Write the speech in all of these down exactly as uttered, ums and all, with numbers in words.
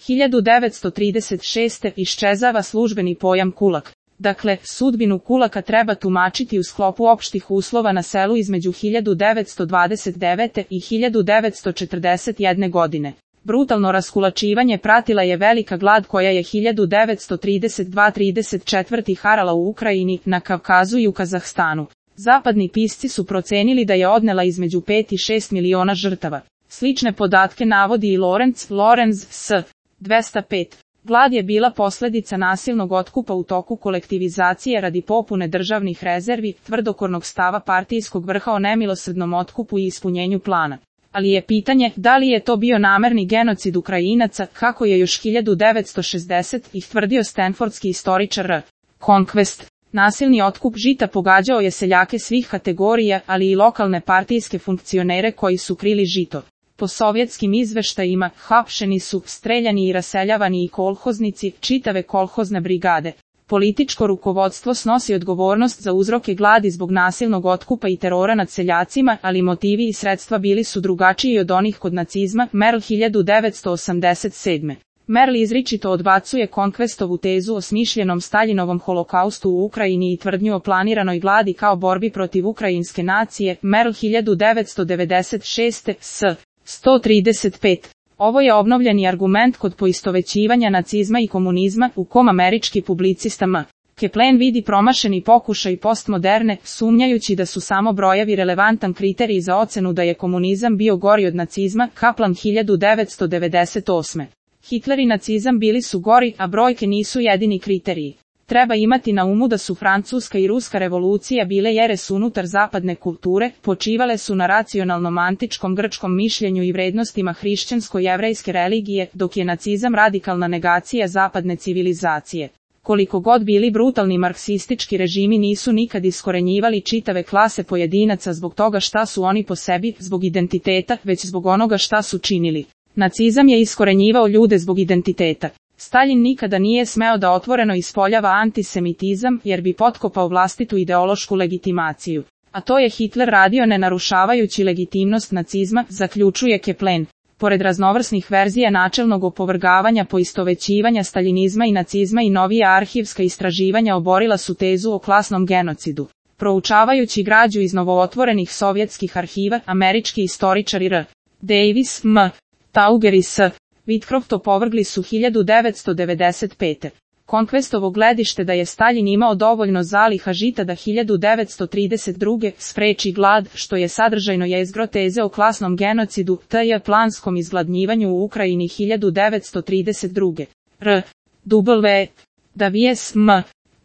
hiljadu devetsto trideset šeste. iščezava službeni pojam kulak. Dakle, sudbinu kulaka treba tumačiti u sklopu opštih uslova na selu između hiljadu devetsto dvadeset devete. i hiljadu devetsto četrdeset jedne. godine. Brutalno raskulačivanje pratila je velika glad koja je hiljadu devetsto trideset dva trideset četvrte. harala u Ukrajini, na Kavkazu i u Kazahstanu. Zapadni pisci su procenili da je odnela između pet i šest miliona žrtava. Slične podatke navodi i Lorenz, Lorenz S. dvesta pet. Glad je bila posledica nasilnog otkupa u toku kolektivizacije radi popune državnih rezervi, tvrdokornog stava partijskog vrha o nemilosrdnom otkupu i ispunjenju plana. Ali je pitanje da li je to bio namerni genocid Ukrajinaca, kako je još hiljadu devetsto šezdesetih. ih tvrdio stanfordski istoričar R. Conquest. Nasilni otkup žita pogađao je seljake svih kategorija, ali i lokalne partijske funkcionere koji su krili žito. Po sovjetskim izveštajima, hapšeni su, streljani i raseljavani i kolhoznici, čitave kolhozne brigade. Političko rukovodstvo snosi odgovornost za uzroke gladi zbog nasilnog otkupa i terora nad seljacima, ali motivi i sredstva bili su drugačiji od onih kod nacizma. Merl hiljadu devetsto osamdeset sedme. Merl izričito odbacuje Conquestovu tezu o smišljenom Staljinovom holokaustu u Ukrajini i tvrdnju o planiranoj gladi kao borbi protiv ukrajinske nacije. Merl hiljadu devetsto devedeset šeste. S. sto trideset pet. Ovo je obnovljeni argument kod poistovećivanja nacizma i komunizma, u kom američki publicista M. Kaplan vidi promašeni pokušaj postmoderne, sumnjajući da su samo brojevi relevantan kriterij za ocenu da je komunizam bio gori od nacizma. Kaplan hiljadu devetsto devedeset osme. Hitler i nacizam bili su gori, a brojke nisu jedini kriteriji. Treba imati na umu da su Francuska i Ruska revolucija bile jeres unutar zapadne kulture, počivale su na racionalnom antičkom grčkom mišljenju i vrednostima hrišćansko-jevrejske religije, dok je nacizam radikalna negacija zapadne civilizacije. Koliko god bili brutalni marksistički režimi nisu nikad iskorenjivali čitave klase pojedinaca zbog toga šta su oni po sebi, zbog identiteta, već zbog onoga šta su činili. Nacizam je iskorenjivao ljude zbog identiteta. Staljin nikada nije smeo da otvoreno ispoljava antisemitizam, jer bi potkopao vlastitu ideološku legitimaciju. A to je Hitler radio ne narušavajući legitimnost nacizma, zaključuje Kaplan. Pored raznovrsnih verzija načelnog opovrgavanja poistovećivanja staljinizma i nacizma i novija arhivska istraživanja oborila su tezu o klasnom genocidu. Proučavajući građu iz novootvorenih sovjetskih arhiva, američki istoričari R. Davis, M. Tauger i S. Whitcroft opovrgli su hiljadu devetsto devedeset pete. Conquestovo gledište da je Staljin imao dovoljno zaliha žita da hiljadu devetsto trideset druge. spreči glad, što je sadržajno jezgro teze o klasnom genocidu, tj. planskom izgladnjivanju u Ukrajini hiljadu devetsto trideset druge. R. W. Davies, M.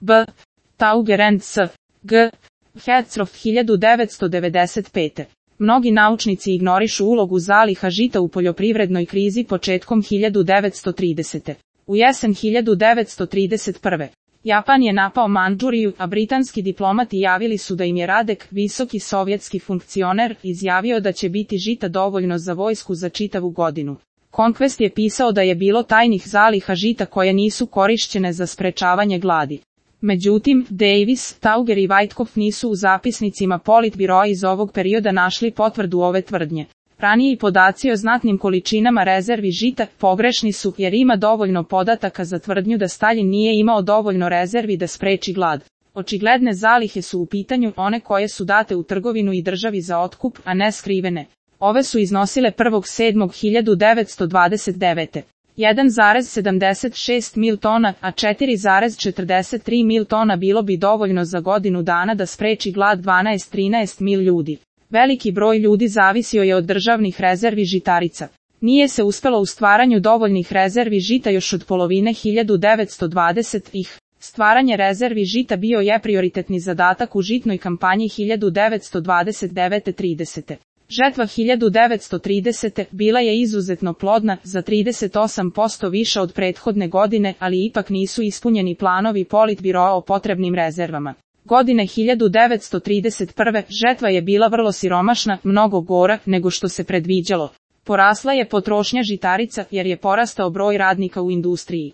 B. Tauger and S. G. Hetzroff hiljadu devetsto devedeset pete. Mnogi naučnici ignorišu ulogu zaliha žita u poljoprivrednoj krizi početkom hiljadu devetsto tridesete. U jesen hiljadu devetsto trideset prve. Japan je napao Mandžuriju, a britanski diplomati javili su da im je Radek, visoki sovjetski funkcioner, izjavio da će biti žita dovoljno za vojsku za čitavu godinu. Conquest je pisao da je bilo tajnih zaliha žita koje nisu korišćene za sprečavanje gladi. Međutim, Davis, Tauger i Whitcroft nisu u zapisnicima Politbiroa iz ovog perioda našli potvrdu ove tvrdnje. Raniji podaci o znatnim količinama rezervi žita pogrešni su, jer ima dovoljno podataka za tvrdnju da Staljin nije imao dovoljno rezervi da spreči glad. Očigledne zalihe su u pitanju one koje su date u trgovinu i državi za otkup, a ne skrivene. Ove su iznosile prvog sedmog hiljadu devetsto dvadeset devete. jedan zarez sedamdeset šest mil tona, a četiri zarez četrdeset tri mil tona bilo bi dovoljno za godinu dana da spreči glad dvanaest do trinaest mil ljudi. Veliki broj ljudi zavisio je od državnih rezervi žitarica. Nije se uspelo u stvaranju dovoljnih rezervi žita još od polovine hiljadu devetsto dvadesetih. Stvaranje rezervi žita bio je prioritetni zadatak u žitnoj kampanji hiljadu devetsto dvadeset devete do tridesete. Žetva hiljadu devetsto tridesete. bila je izuzetno plodna, za trideset osam posto više od prethodne godine, ali ipak nisu ispunjeni planovi Politbiroa o potrebnim rezervama. Godine hiljadu devetsto trideset prve. žetva je bila vrlo siromašna, mnogo gora nego što se predviđalo. Porasla je potrošnja žitarica jer je porastao broj radnika u industriji.